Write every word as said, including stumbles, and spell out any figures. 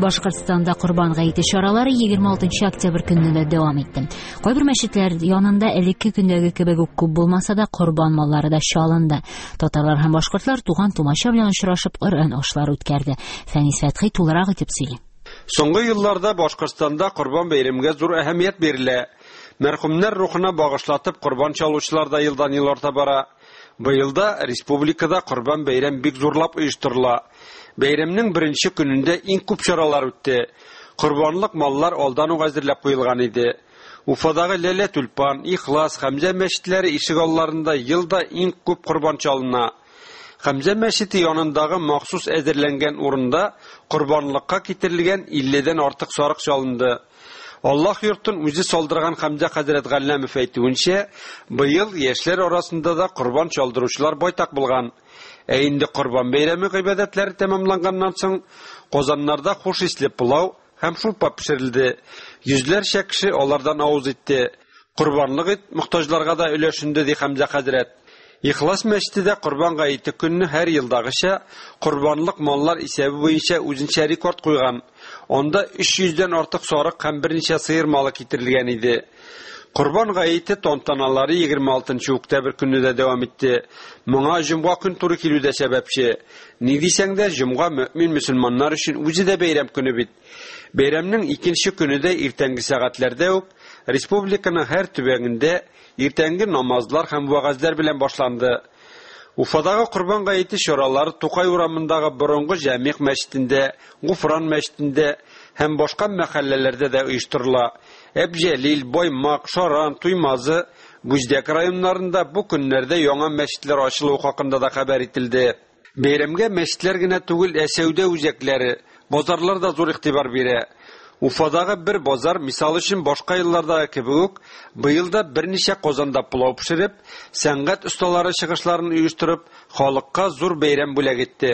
Башкортстанда Корбан гаете чаралары егерме алтынчы октябрь көнне дә дәвам итте. Кайбер мәчетләр янында элекке көндәге кебек үк күп булмаса да, корбан маллары да чалынды. Татарлар һәм башкортлар туган тумача белән очрашып, Коръән ашлары үткәрде. Фәнис Фәтхи тулырак итеп сөйли. Соңгы елларда Башкортстанда Корбан бәйрәмгә зур әһәмият бирелә. Мәрхүмнәр рухына багышлатып корбан чалучылар да елдан ел арта бара. Быел да республикада Корбан бәйрәм бик зурлап оештырыла. Бәйрәмнең беренче көнендә иң күп чаралар үтте. Корбанлык маллар алдан ук әзерләп куелган иде. Уфадагы Ләлә Тюльпан, Ихлас, Хәмзә мәчетләре ишек алларында елда иң күп корбан чалына. Хәмзә мәчете янындагы махсус әзерләнгән урында корбанлыкка китерелгән илледән артык сарык чалынды. Аллаһ йортын үзе салдырган Хәмзә хәзрәт Галләмов әйтүенчә, быел яшьләр арасында да корбан чалдыручылар байтак булган. Ә инде Корбан бәйрәме гыйбадәтләре тәмамланганнан соң, казаннарда хуш исле пылау һәм шурпа пешерелде. Йөзләрчә кеше алардан авыз итте. Корбанлык ит мохтаҗларга да өләшенде, ди Хәмзә хәзрәт. Ихлас мәчете дә Корбан гаете көнне һәр елдагыча корбанлык маллар исәбе буенча үзенчә рекорд куйган. Анда өч йөздән артык сарык һәм берничә сыер малы китерелгән иде. Корбан гаете тантаналары егерме алтынчы октябрь көнне дә дәвам итте. Моңа җомга көн туры килү дә сәбәпче. Ни дисәң дә, җомга мөмин мөселманнар өчен үзе дә бәйрәм көне бит. Бәйрәмнең икенче көне дә иртәнге сәгатьләрдә үк республиканың һәр төбәгендә иртәнге намазлар һәм вәгазьләр белән башланды. Уфадагы Корбан гаете чаралары Тукай урамындагы борынгы Җәмигъ мәчетендә, Гуфран мәчетендә һәм башка мәхәлләләрдә дә оештырыла. Әбҗәлил, Баймак, Шаран, Туймазы, Бүздәк районнарында бу көннәрдә яңа мәчетләр ачылуы хакында да хәбәр ителде. Бәйрәмгә мәчетләр генә түгел, ә сәүдә үзәкләре, базарлар да зур игътибар бирә. Уфадагы бер базар, мисал өчен, башка еллардагы кебек үк, быел да берничә казанда пылау пешереп, сәнгать осталары чыгышларын оештырып, халыкка зур бәйрәм бүләк итте.